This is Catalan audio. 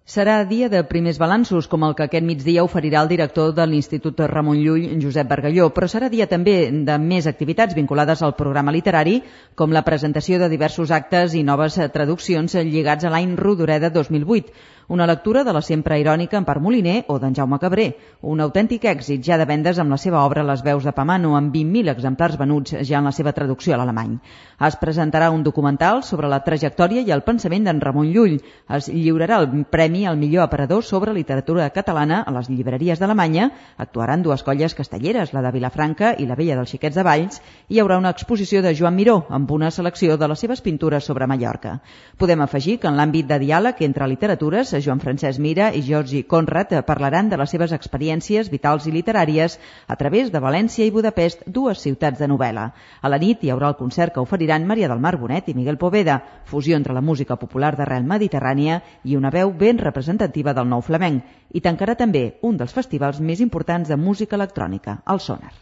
Serà dia de primers balanços, com el que aquest migdia oferirà el director de l'Institut Ramon Llull, Josep Bargalló, però serà dia també de més activitats vinculades al programa literari, com la presentació de diversos actes i noves traduccions lligats a l'any Rodoreda 2008, una lectura de la sempre irònica Empar Moliner o d'en Jaume Cabré, un autèntic èxit ja de vendes amb la seva obra Les veus de Pamano, amb 20.000 exemplars venuts ja en la seva traducció a l'alemany. Es presentarà un documental sobre la trajectòria i el pensament d'en Ramon Llull. Es lliurarà el premi al millor aparador sobre literatura catalana a les llibreries d'Alemanya. Actuaran dues colles castelleres, la de Vilafranca i la Vella dels Xiquets de Valls, i hi haurà una exposició de Joan Miró amb una selecció de les seves pintures sobre Mallorca. Podem afegir que en l'àmbit de diàleg entre literatures, Joan Francesc Mira i Georgi Conrad parlaran de les seves experiències vitals i literàries a través de València i Budapest, dues ciutats de novel·la. A la nit hi haurà el concert que oferiran Maria del Mar Bonet i Miguel Poveda, fusió entre la música popular d'arrel mediterrània i una veu ben representativa del nou flamenc, i tancarà també un dels festivals més importants de música electrònica, el Sonar.